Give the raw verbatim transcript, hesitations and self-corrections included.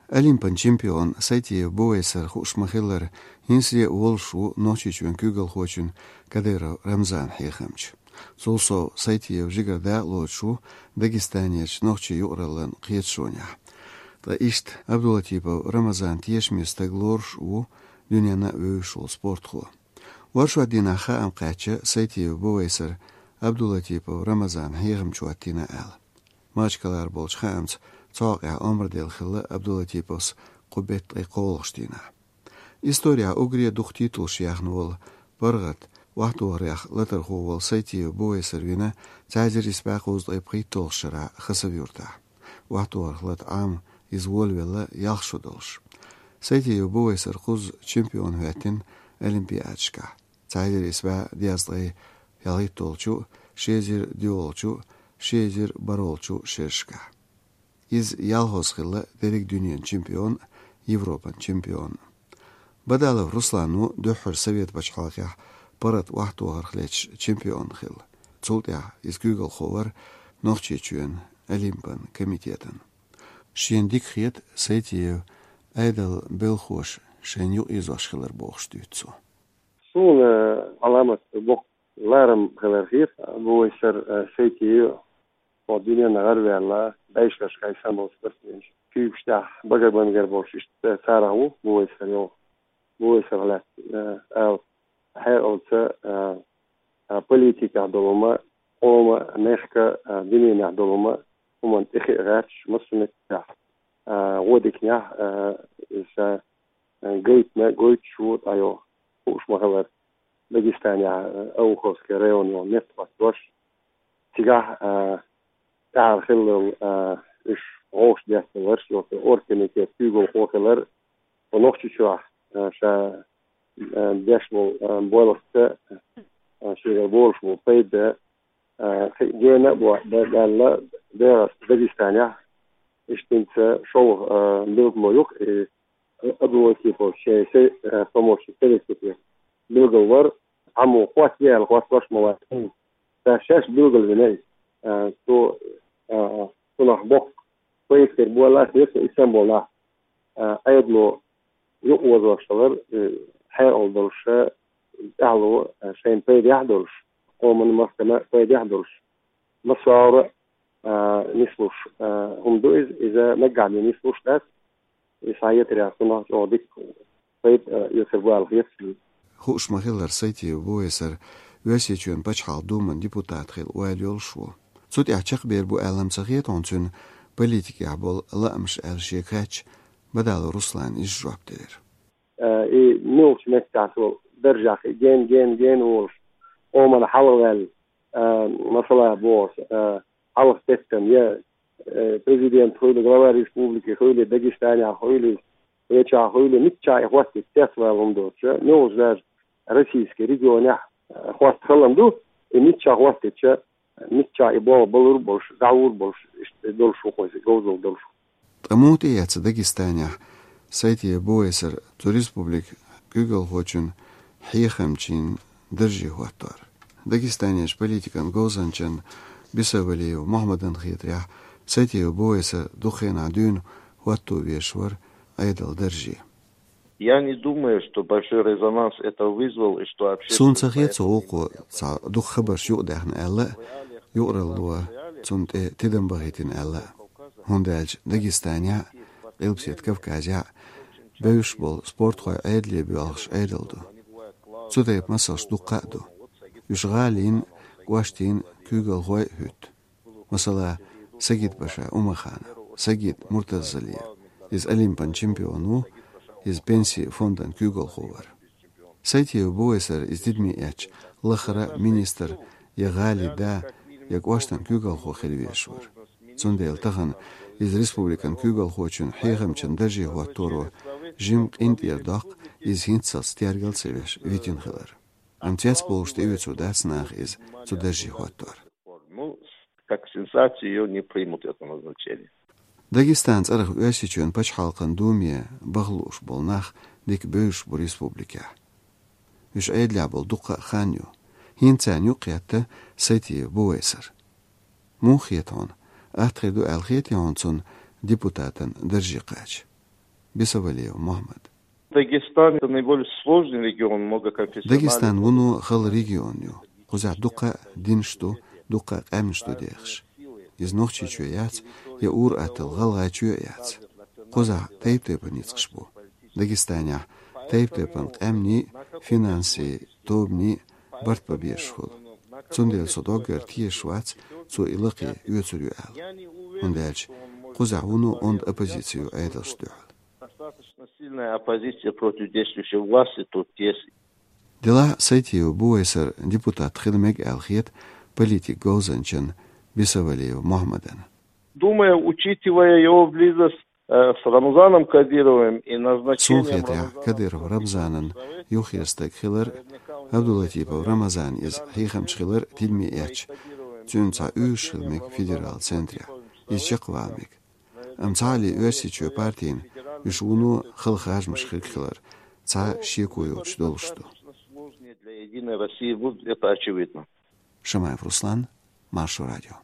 Олимпан чемпион Сайтиев Бувайсар хууш ма-хиллара, хӀинца а волуш ву Нохчийчоьнан куьйгалхочун Кадыров Рамзанан хьехамча. Цул сов Сайтиев жигара дакъа лоцуш ву Дагестанерчу нохчийн юкъараллан кхеташонехь. Ткъа иштта Абдулатипов Рамзан тешаме стаг лоруш а ву дуьненна а вевзаш волу спортхо. Оршот дийнахь хаам кхаьчна Сайтиев Бувайсар Абдулатипов Рамзанан хьехамча хӀоттийна аьлла. Махачкалара болчу хаамца цхьа хьокъехь омра делла хилла Абдулатиповс кху беттан ткъе кхоалгӀачу дийнахь. Исторехь уггаре дукха титулаш яьхна волу, паргӀат охьатохарех латархо волу Сайтиев Бувайсар вина цхьа эзар исс бӀе кхузткъе пхийтталгӀачу шарахь Хасав-Юртахь. Охьатохарх лата Ӏама иза волавелла ялх шо долуш. Сайтиев Бувайсар кхузза чемпион хӀоьттина Олимпиадашкахь. Цхьа эзар исс бӀе дезткъе ялхитталгӀачу, ши эзар доьалгӀачу, ши эзар бархӀалгӀачу шерашкахь. Иза ялхолгӀа хилла дерриг дуьненан чемпион, Европан чемпион. Бадалов Руслан ву дуьххьара Совет пачхьалкхехь паргӀат охьатохарх леташ чемпион хилла. Цул тӀаьхьа иза куьйгалхо вара Нохчийчоьнан Олимпан комитетан. Шена дика хета Сайтиев Ӏедалан белхахоша шайна юкъаэцош хилар бохуш дуьйцу цо. Суна Ӏаламат боккха ларам хилар хета, Бувайсар, э, Сайтиев, хӀокху дуьненна гӀараваьлла, бӀешерашкахь санна болу спортсменаш. Куьйгаш тӀехь багар-бангар болуш иштта царах ву Бувайсар йогӀу. Бувайсарах лаьцна, э, ала хьекъалца, э, э, политикехь долу ма, къоман, мехкан, э, дуьненехь долу ма, хӀуманна тӀе хиъна гӀерташ, массо а меттехь, э, гӀо диканехь, э, иза ша гайтина, гойтуш ву, тӀайо хууш ма-хиллара, Дагестанехь, а, Ауховский район йолу метта хӀоттош. Цигахь, а, тӀаьхьара хиллал, а, уьш гӀовш детталарш, йолу оргкомитет куьйгалхо хилар, тхо Нохчийчохь, а, ша, а, деш болу, а, боьлхуца, а, шегара болуш болу пайда, а, кхин гена а бо-, бе-, баьлла, бегӀаста Дагестанехь, иштта хӀинца шолгӀа, а, билгало ю-кх, и Абдулатипов шен се-, э, помощник советник билгал вара, цхьаммо хӀоттае аьлла, хӀоттош ма вац. Ша шаьш билгал вина иза. Э, цо, э, цунах боккха пайда хир бу аьлла, аса веца Истамбулехь, э, Ӏедало юкъаозош хилар, э, хьекъал долуш, э, тӀаьхьало, э, шайна пайдехь а долуш, къоманна, махкана пайдехь а долуш. Массо а, а, нислуш, а, хӀума ду иза, иза наггахь бен нислуш дац. И схьаетарехь цунах чӀогӀа дика пайда, а, оьцур бу аьлла хета суна. Хууш ма-хиллара, Сайтиев Бувайсар Оьрсийчоьнан Пачхьалкхан Думан депутат хила ойла йолуш ву. Цу тӀехь чекхбер бу аьлла-м ца хета хьуна цуьнан политикехь болу лаамаш аьлла шега хаьттича, Бадалов Руслана иза жоп делира. Э, и муьлхачу меттехь со даржехь и ген, ген, ген волуш, къоманна хьалхаваьлла, э, масала боху аса, э, хьалха теттам я, э, президент хуьлу, глава республики хуьлу, Дагестанехь хуьлу, вайчохь хуьлу, миччахь и хӀоттийта цецвала хӀума доцуш, муьлхачу даже российский регионехь, э, хӀотта хала ма ду, и миччахь хӀоттийча, миччахь и болх балур а болуш, дӀахьур а болуш, иштта долуш ву-кх иза, говзалла долуш ву. Ткъа муха тӀеэцна Дагестанехь Сайтиев Бувайсар цу республикан куьйгалхочун хьехамчин дарже хӀоттор? Дагестанерчу политикан говзанчан Бисовалиев Мухьаммадан хетарехь, Сайтиев Бувайсар дукха хенахь дуьйна хӀотто везаш вара Ӏедалан дарже. Я не думаю, что большой резонанс это вызвал, и что общественность... Суна ца хета цу гӀуллакхо цхьа дукха хабарш юкъадаьхна аьлла а, юкъаралло цунна тӀе тидам бахийтина аьлла а. ХӀунда аьлча Дагестанехь а, Къилбаседа Кавказехь а бевзаш болу спортхой Ӏедале боьлхуш Ӏедал ду. Цу тайпа масалш дуккха а ду. Уьш гӀалин, кӀоштийн куьйгалхой а хӀуьтту. Масала, Сагид-паша Умаханов, Сагид Муртазалиев, иза Олимпан чемпион ву, иза пенсийн фондан куьйгалхо вара. Сайтиев Бувайсар иза тидаме эцча, лахара а министр, я гӀалин да, я кӀоштан куьйгалхо хила везаш вара. Цундела тахана иза республикан куьйгалхочун хьехамчин дарже хӀотторо жимма къинтӀера доккху иза хӀинццалц тергал а ца веш витина хилар. Амма цецбовлуш тӀеоьцур дац наха иза цу дарже хӀоттор. Ну, как сенсацию её не примут, это назначение. Дагестан цӀарах Оьрсийчоьнан Пачхьалкхан Думе баха лууш болу нах дика бевзаш бу республикехь. Уьш Ӏедалехь болу дуккха а хан ю. ХӀинца царна юкъахетта Сайтиев Бувайсар. Муха хета хьуна, атта хир ду аьлла хетий хьуна цунна депутатан дарже кхача? Бесовалиев Мухьмад. Дагестан — это наиболее сложный регион, многоконфессиональный. Дагестан вуно хала регион ю. Кхузахь дукха динаш ду, дукха къаьмнаш ду дехаш. Иза Нохчийчоь яц, я ур-аттал ГӀалгӀайчоь а яц. Кхузахь тайп-тайпана ницкъаш бу. Дагестанехь тайп-тайпана къаьмнийн, финансийн, тобанийн барт бан безаш хуьлу. Цундела со доггара тешаш вац, цо и лакхе оьцур ю аьлла. ХӀунда аьлча кхузахь вуно онда оппозици ю Ӏедалшна дуьхьал. Достаточно сильная оппозиция против действующей власти тут есть. Делахь Сайтиев бу вай сар депутат хила мега аьлла хета политик говзанчан Бесовалиев Мухьмадан. Думаю, учитывая его близость, э, с Рамзаном Кадыровым и назначением... Суна хетарехь, Кадыров Рамзанан юххера стаг хилар, Абдулатипов Рамазан иза хьехамча хилар тидаме эцча, цуьнан цхьа оьшуш хила мега федерал центрехь, иза чекхвала мега. Амма цхьаалле Оьрсийчоь партийна уьш вуно хала харжамаш хирг хилар цхьа шеко йоцуш долуш ду. Для Единой России будут, это очевидно. Шамаев Руслан, Маршо радио.